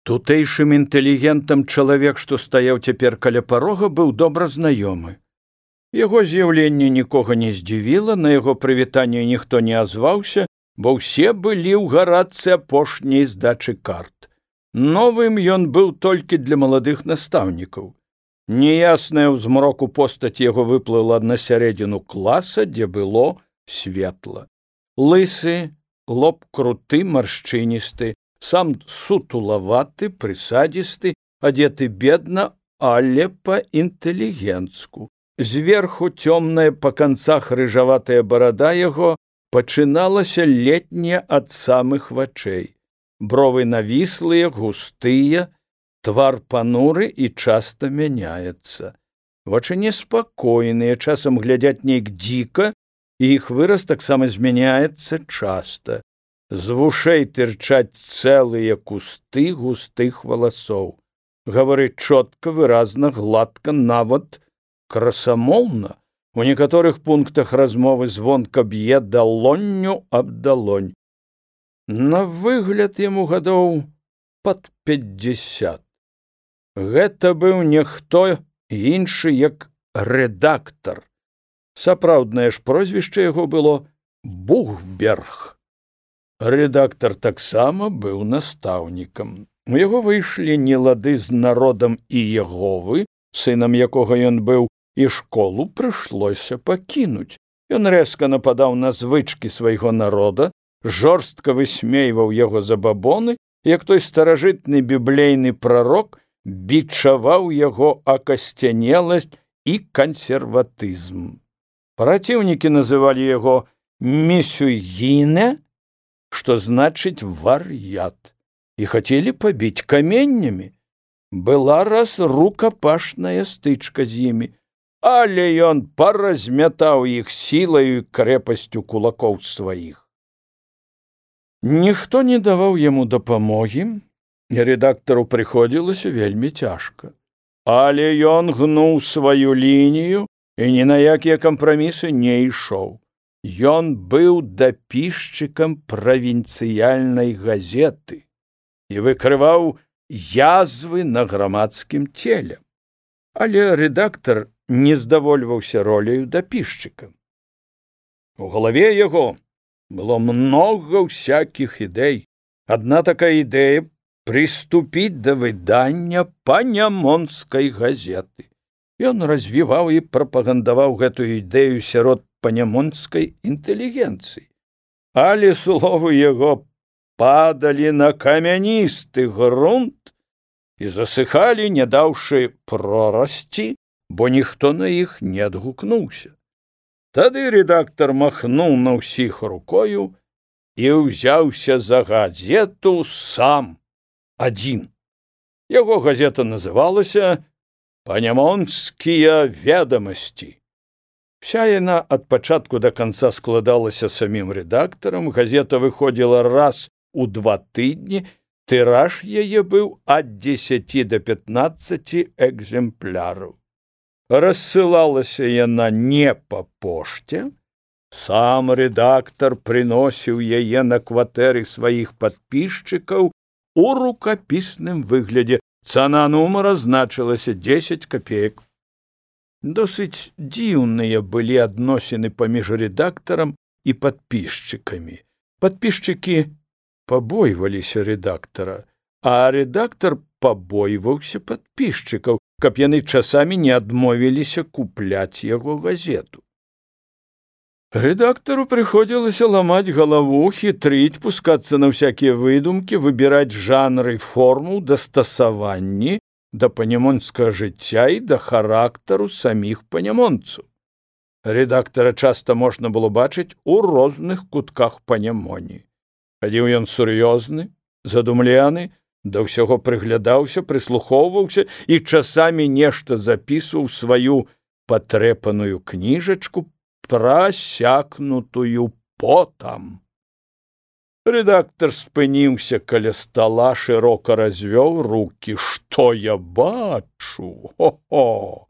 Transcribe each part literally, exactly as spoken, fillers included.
Тутэйшым інтэлігентам чалавек, што стаяў цяпер каля парога, быў добра знаёмы. Яго з'яўленне нікога не здзівіла, на яго прывітанне ніхто не азваўся, бо ўсе былі ў гарадцы апошняй здачы карт. Новым ён быў толькі для маладых настаўнікаў. Неясная ў змроку постаць яго выплыла на сярэдзіну класа, дзе было светла. Лысы, лоб круты, маршчыністы, сам сутулаваты, прысадзісты, адзеты бедна, але па-інтэлігенцку. Зверху цёмная па канцах рыжаватая барада яго пачыналася летняя ад самых вачэй. Бровы навіслыя, густыя, твар пануры і часта мяняецца. Вачы неспакойныя, часам глядзяць нейк дзіка, і іх выраз таксама змяняецца часта. З вушэй тырчаць цэлыя кусты густых валасоў. Гаворыць чотка, выразна, гладка, нават красамоўна. У некаторых пунктах размовы звонка б'е далонню аб далонь. На выгляд яму гадоў пад пяцьдзесят. Гэта быў не хто іншы, як рэдактар. Сапраўднае ж прозвішча яго было Бухберг. Рэдактар таксама быў настаўнікам. У яго выйшлі нелады з народам Іеговы, сынам якога ён быў, і школу прыйшлося пакінуць. Ён рэзка нападаў на звычкі свайго народа, жорстка высмейваў яго забабоны, як той старажытны біблейны прарок бичаваў яго акасцянеласць і кансерватызм. Праціўнікі называлі яго місюгіне, што значыць вар'ят, і хацелі пабіць каменнямі. Была раз рукапашная стычка з імі, але ён паразмятаў іх сілаю і крэпасцю кулакоў сваіх. Ніхто не даваў яму дапамогі, і рэдактару прыходзілася вельмі цяжка. Але ён гнуў сваю лінію і ні на якія кампрамісы не ішоў. Ён быў дапісчыкам правінцыяльнай газеты і выкрываў язвы на грамадскім целе. Але рэдактар не здавольваўся роляю дапісчыка. У галаве яго было многа ўсякіх ідэй. Адна такая ідэя — прыступіць да выдання панямонскай газеты. Ён развіваў і прапагандаваў гэтую ідэю сярод панямонскай інтэлігенцыі. Але словы яго падалі на камяністы грунт і засыхалі, не даўшы прорасці, бо ніхто на іх не адгукнуўся. Тады рэдактар махнуў на ўсіх рукою і ўзяўся за газету сам, адзін. Яго газета называлася «Панямонскія ведамасці». Вся яна ад пачатку да канца складалася самім рэдактарам, газета выходзіла раз у два тыдні, тыраж яе быў ад дзесяці да пятнаццаці экземпляраў. Рассылалася яна не па пошце, сам рэдактар прыносіў яе на кватэры сваіх падпісчыкаў у рукапісным выглядзе. Цана нумара значылася дзесяць капеек. Досыць дзіўныя былі адносіны паміж рэдактарам і падпісчыкамі. Падпісчыкі пабойваліся рэдактара, а рэдактар пабойваўся падпісчыкаў, каб яны часамі не адмовіліся купляць яго газету. Рэдактару прыходзілася ламаць галаву, хітрыць, пускацца на ўсякія выдумкі, выбіраць жанры і форму, дастасаванні да панямонскага жыцця і да характару саміх панямонцаў. Рэдактара часта можна было бачыць у розных кутках Панямоні. Хадзіў ён сур'ёзны, задумлены, да ўсяго прыглядаўся, прыслухоўваўся і часамі нешта запісваў сваю патрэпаную кніжачку, прасякнутую потам. Рэдактар спыніўся каля стала, шырока развёў рукі. Што я бачу? Хо-хо!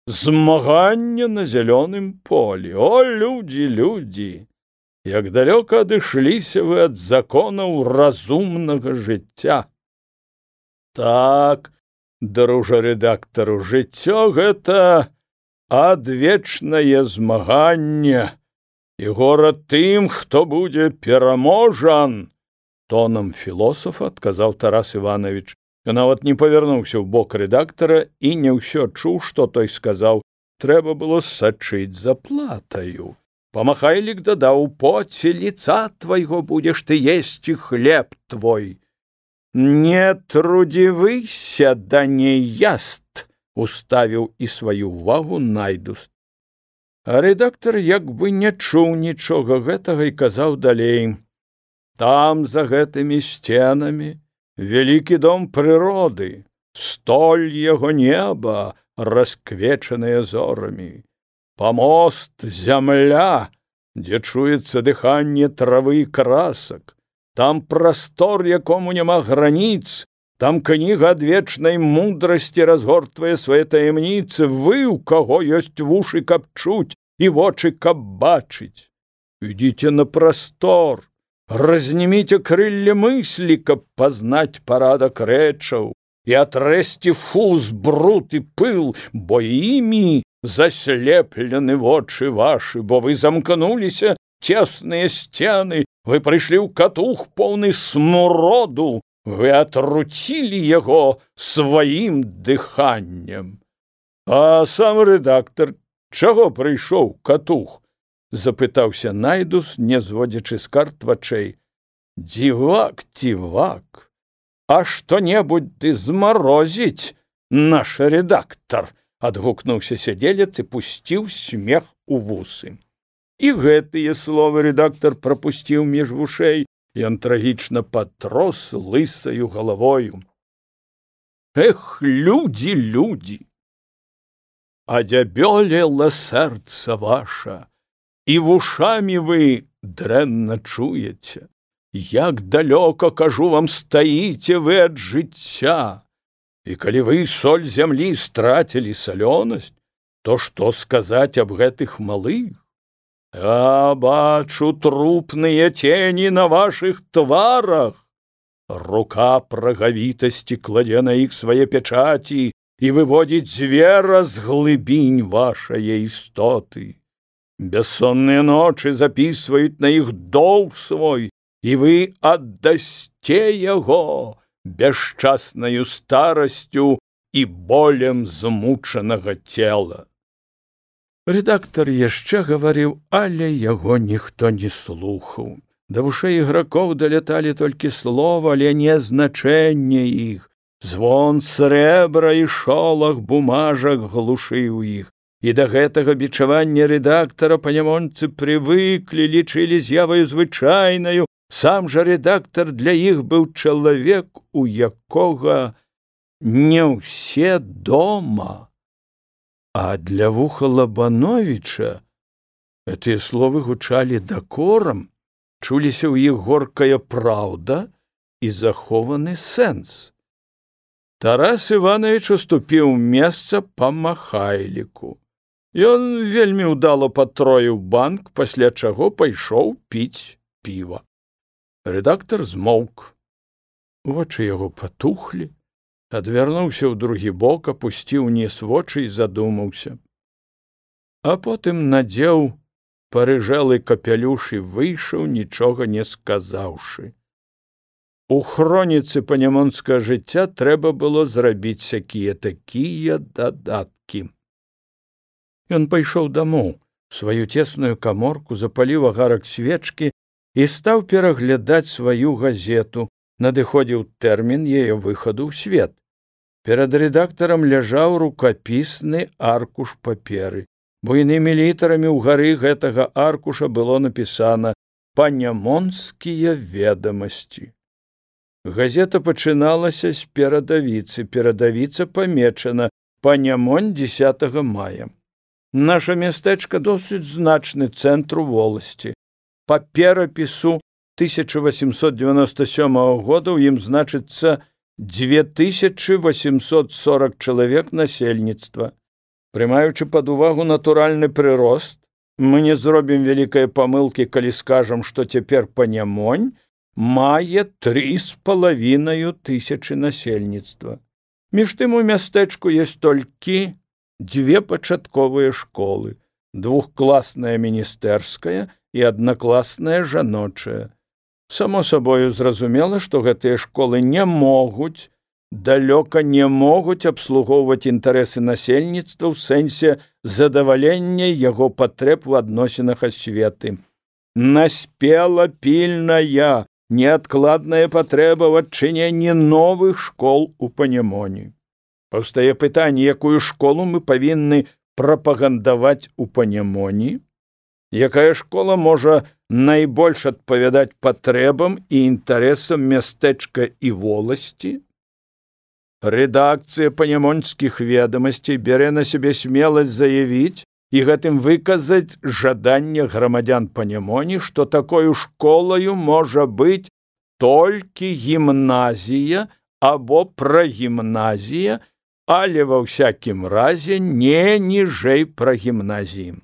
Змаганне на зялёным полі. О, людзі, людзі! Як далёка адышліся вы ад законаў разумнага жыцця. Так, дружа рэдактару, жыццё гэта адвечнае змаганне, і горад тым, хто будзе пераможан. Тонам філосафа адказаў Тарас Іванович. Ён нават не павярнуўся ў бок рэдактара і не ўсё чуў, што той сказаў. Трэба было сачыць за платаю. Памахайлік дадаў: поце лица твайго будзеш ты есці хлеб твой. Не трудзівыся да неяст, уставіў і сваю ўвагу Найдус. А рэдактар як бы не чуў нічога гэтага і казаў далей: там за гэтымі сценамі вялікі дом прыроды, столь яго неба, расквечаныя зорамі, памост зямля, дзе чуецца дыханне травы і красак, там прастор, якому няма граніц, там кніга адвечнай мудрасці разгортвае свае таямніцы, вы, у каго ёсць вушы, каб чуць, і вочы, каб бачыць. Ідзіце на прастор, разніміце крылле мыслі, каб пазнаць парадак рэчаў, і атрэсці фуз, бруд і пыл, бо імі заслеплены вочы вашы, бо вы замкнуліся цесныя сцены, вы прыйшлі ў катух поўны смуроду, вы атруцілі яго сваім дыханнем. А сам рэдактар чаго прыйшоў катух? Запытаўся Найдус, не зводзячы з карт вачэй. Дзівак, дзівак, а што-небудзь ты змарозіць, наш рэдактар, адгукнуўся сядзелец і пусціў смех у вусы. І гэтыя словы рэдактар прапусціў між вушэй, ён трагічна патрос лысаю галавою. Эх, людзі, людзі! Адзябёлела сэрца ваша, і вушамі вы дрэнна чуеце. Як далёка, кажу вам, стаіце вы ад жыцця. І калі вы соль зямлі страцілі салёнасць, то што сказаць аб гэтых малых? Я бачу трупныя цені на вашых тварах. Рука прагавітасці кладзе на іх свае пячаці і выводзіць звера з глыбінь вашае істоты. Бессонныя ночы запісваюць на іх доўг свой, і вы аддасце яго бясчаснаю старасцю і болем змучанага цела. Рэдактар яшчэ гаварыў, але яго ніхто не слухаў. Да вушэй ігракоў даляталі толькі слова, але не значэнне іх. Звон срэбра і шолах бумажак глушыў іх. І да гэтага бичавання рэдактара панямонцы прывыклі, лічылі з'яваю звычайнаю. Сам жа рэдактар для іх быў чалавек, у якога не ўсе дома. А для вуха Лабановіча гэтыя словы гучалі дакорам, чуліся ў іх горкая праўда і захованы сэнс. Тарас Іванович уступіў месца памахайліку. Ён вельмі ўдала патроіў банк, пасля чаго пайшоў піць піва. Рэдактар змоўк. Вочы яго патухлі, адвярнуўся ў другі бок, апусціў уніз вочы і задумаўся. А потым надзеў парыжэлы капялюш і выйшаў, нічога не сказаўшы. У хроніцы панямонскага жыцця трэба было зрабіць сякія такія дадаткі. Ён пайшоў дамоў, сваю цесную каморку, запаліў агарак свечкі і стаў пераглядаць сваю газету. Надыходзіў тэрмін яе выхаду ў свет. Перад рэдактарам ляжаў рукапісны аркуш паперы. Буйнымі літарамі ўгары гэтага аркуша было напісана «Панямонскія ведамасці». Газета пачыналася з перадавіцы. Перадавіца памечана «Панямонь дзесятага мая». Наша мястэчка досыць значны цэнтр у воласці. Па перапісу тысяча восемьсот девяносто сёмага года ў ім значыцца две тысячи восемьсот сорок чалавек насельніцтва. Прымаючы пад увагу натуральны прырост, мы не зробім вялікай памылкі, калі скажам, што цяпер Панямонь мае тры з палавінаю тысячы насельніцтва. Між тым у мястэчку ёсць толькі дзве пачатковыя школы, двухкласная міністэрская і аднакласная жаночая. Само сабою зразумела, што гэтыя школы не могуць, далёка не могуць абслугоўваць інтарэсы насельніцтва ў сэнсе задавалення яго патрэб у адносінах асветы. Наспела пільная, неадкладная патрэба ў адчыненні новых школ у Панемоні. Паўстае пытанне, якую школу мы павінны прапагандаваць у Панемоні? Якая школа можа найбольш адпавядаць патрэбам і інтарэсам мястэчка і воласці? Рэдакцыя панемонскіх ведамасцей бярэ на сябе смеласць заявіць і гэтым выказаць жаданне грамадзян Панемоні, што такою школаю можа быць толькі гімназія або прагімназія, але ва ўсякім разе не ніжэй прагімназіі.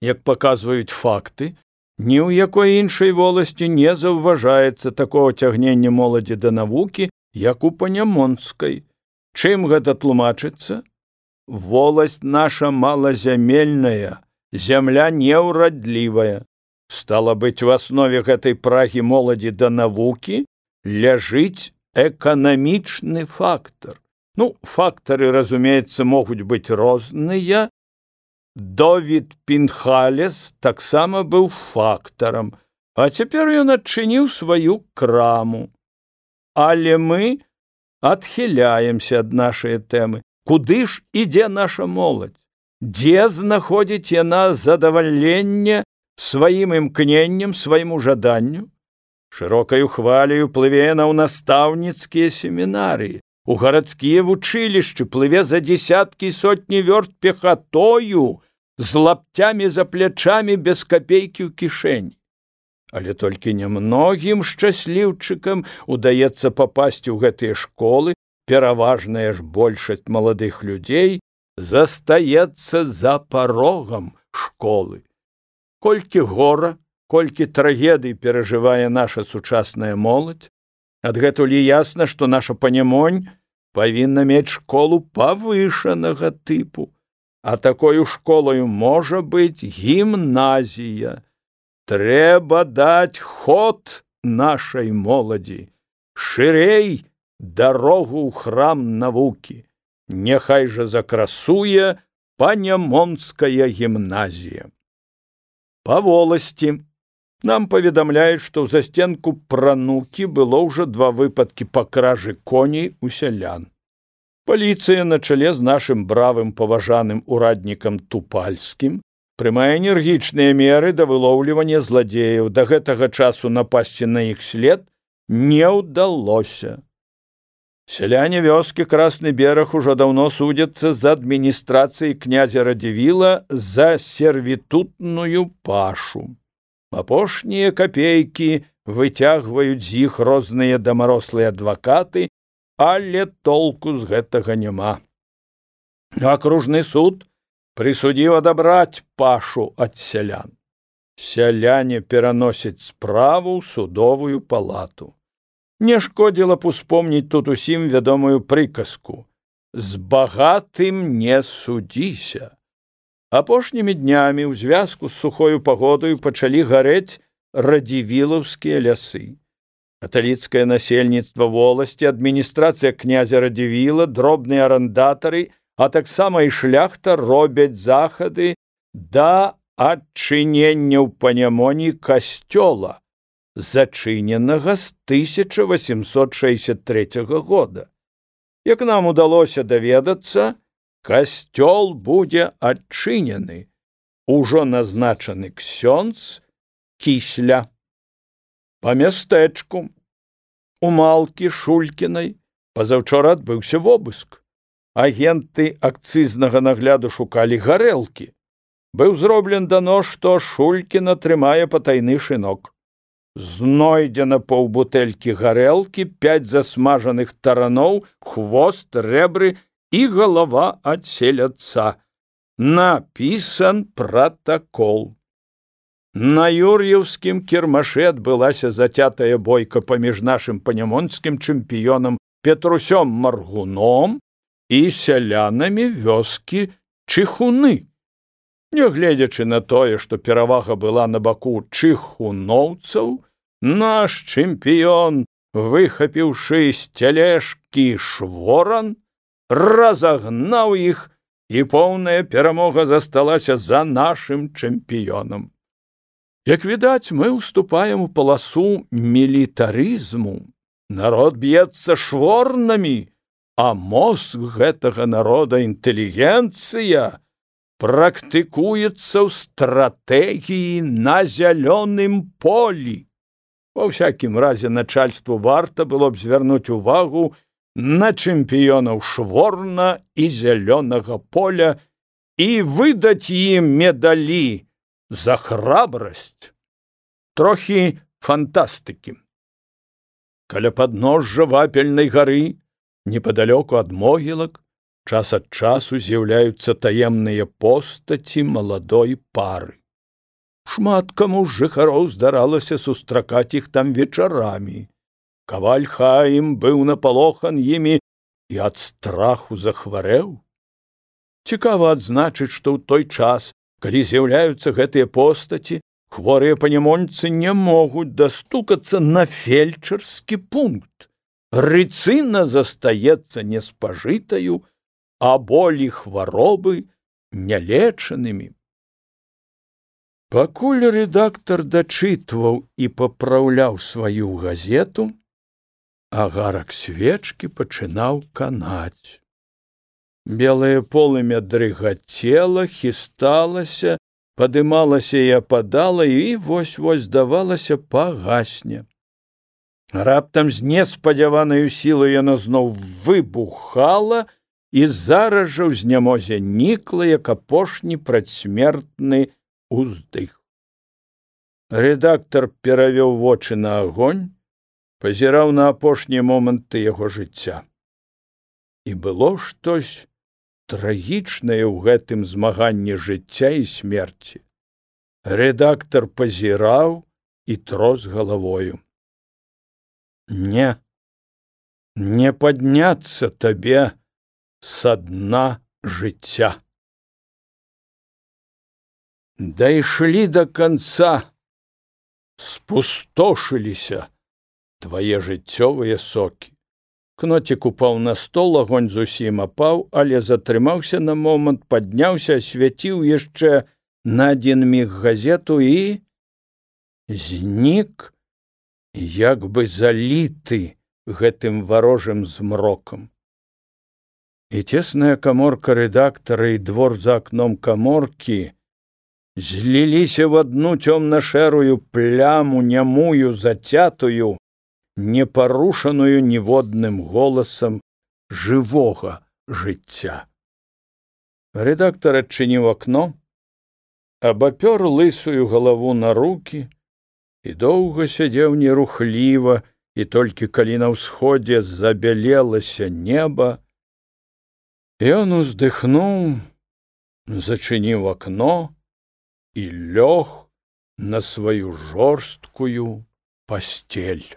Як паказваюць факты, ні ў якой іншай воласці не заўважаецца такого цягнення моладзі да навукі, як у Панемонскай. Чым гэта тлумачыцца? Воласць наша малазямельная, зямля неўрадлівая. Стала быць, у аснове гэтай прагі моладзі да навукі ляжыць эканамічны фактар. Ну, фактары, разумеецца, могуць быць розныя. Довід Пінхалес таксама быў фактарам, а цяпер ён адчыніў сваю краму. Але мы адхіляемся ад нашай тэмы. Куды ж ідзе наша моладзь? Дзе знаходзіць яна задавальленне сваім імкненнем, свайму жаданню? Шырокаю хваляю плыве яна ў настаўніцкія семінарыі, у гарадскія вучылішчы, плыве за дзесяткі і сотні вёрст пехатою, з лаптямі за плячамі, без капейкі ў кішэні. Але толькі нямногім шчасліўчыкам удаецца папасці ў гэтыя школы, пераважная ж большасць маладых людзей застаецца за парогам школы. Колькі гора, колькі трагедый перажывае наша сучасная моладзь, адгэтуль ясна, што наша Панемонь павінна мець школу павышанага тыпу, а такою школаю можа быць гімназія. Трэба даць ход нашай моладзі, шырэй дарогу ў храм навукі. Няхай жа закрасуе Панемонская гімназія. Па воласці нам паведамляюць, што ў засценку Пранукі было ўжо два выпадкі па кражы коней у сялян. Паліцыя на чале з нашым бравым паважаным ураднікам Тупальскім прымае энергічныя меры да вылоўлівання зладзеяў. Да гэтага часу напасці на іх след не ўдалося. Сяляне вёскі Красны бераг ужо даўно судзяцца з адміністрацыяй князя Радзівіла за сервітутную пашу. Апошнія капейкі выцягваюць з іх розныя дамарослыя адвакаты, але толку з гэтага няма. Акружны суд прысудзіў адабраць пашу ад сялян. Сяляне пераносяць справу ў судовую палату. Не шкодзіла б успомніць тут усім вядомую прыказку: «З багатым не судзіся». Апошнімі днямі ў звязку з сухою пагодаю пачалі гарэць радзівілаўскія лясы. Каталіцкае насельніцтва воласці, адміністрацыя князя Радзівіла, дробныя арандатары, а таксама і шляхта робяць захады да адчынення ў Панемоні касцёла, зачыненага з тысяча васемсот шэсцьдзесят трэцяга года. Як нам удалося даведацца, касцёл будзе адчынены. Ужо назначаны ксёндз Кісля. Па мястэчку у Малкі Шулькінай пазаўчора адбыўся вобыск. Агенты акцызнага нагляду шукалі гарэлкі. Быў зроблен данос, што Шулькіна трымае патайны шынок. Знойдзена паўбутэлькі гарэлкі, пяць засмажаных тараноў, хвост, рэбры і галава ад селядца. Напісан пратакол. На юр'еўскім кірмашы адбылася зацятая бойка паміж нашым панямонскім чэмпіёнам Петрусём Маргуном і сялянамі вёскі Чыхуны. Нягледзячы на тое, што перавага была на баку чыхуноўцаў, наш чэмпіён, выхапіўшы з цялежкі шворан, разагнаў іх, і поўная перамога засталася за нашым чэмпіёнам. Як відаць, мы ўступаем у паласу мілітарызму. Народ б'ецца шворнамі, а мозг гэтага народа, інтэлігенцыя, практыкуецца ў стратэгіі на зялёным полі. Ва ўсякім разе начальству варта было б звярнуць увагу на чэмпіёнаў шворна і зялёнага поля і выдаць ім медалі за храбрасць. Трохі фантастыкі. Каля падножжа вапельнай гары, непадалёку ад могілак, час ад часу з'яўляюцца таемныя постаці маладой пары. Шмат каму з жыхароў здаралася сустракаць іх там вечарамі. Каваль Хаім быў напалохан імі і ад страху захварэў. Цікава адзначыць, што ў той час, калі з'яўляюцца гэтыя постаці, хворыя панямонцы не могуць дастукацца на фельчарскі пункт. Рыцына застаецца неспажытаю, а болі хваробы нялечанымі. Пакуль рэдактар дачытваў і папраўляў сваю газету, агарак свечкі пачынаў канаць. Белае полымя дрыгацела, хісталася, падымалася і ападала, і вось-вось, здавалася, пагасне. Раптам з неспадзяванаю сілай яно зноў выбухала, і зараз жа ў знямозе нікла, як апошні прадсмертны уздых. Рэдактар перавёў вочы на агонь, пазіраў на апошнія моманты яго жыцця. І было штось трагічнае ў гэтым змаганні жыцця і смерці. Рэдактар пазіраў і трос галавою. Не, не падняцца табе са дна жыцця. Дайшлі да канца, спустошыліся твае жыццёвыя сокі. Кноцік упаў на стол, агонь зусім апаў, але затрымаўся на момант, падняўся, асвяціў яшчэ на адзін міг газету і знік, як бы заліты гэтым варожым змрокам. І цесная каморка рэдактара і двор за акном каморкі зліліся в адну цёмна-шэрую пляму, нямую, зацятую, непарушаную ніводным голасам жывога жыцця. Рэдактар адчыніў акно, абапёр лысую галаву на рукі і доўга сядзеў нерухліва, і толькі калі на ўсходзе забялелася неба, ён уздыхнуў, зачыніў акно і лёг на сваю жорсткую пасцель.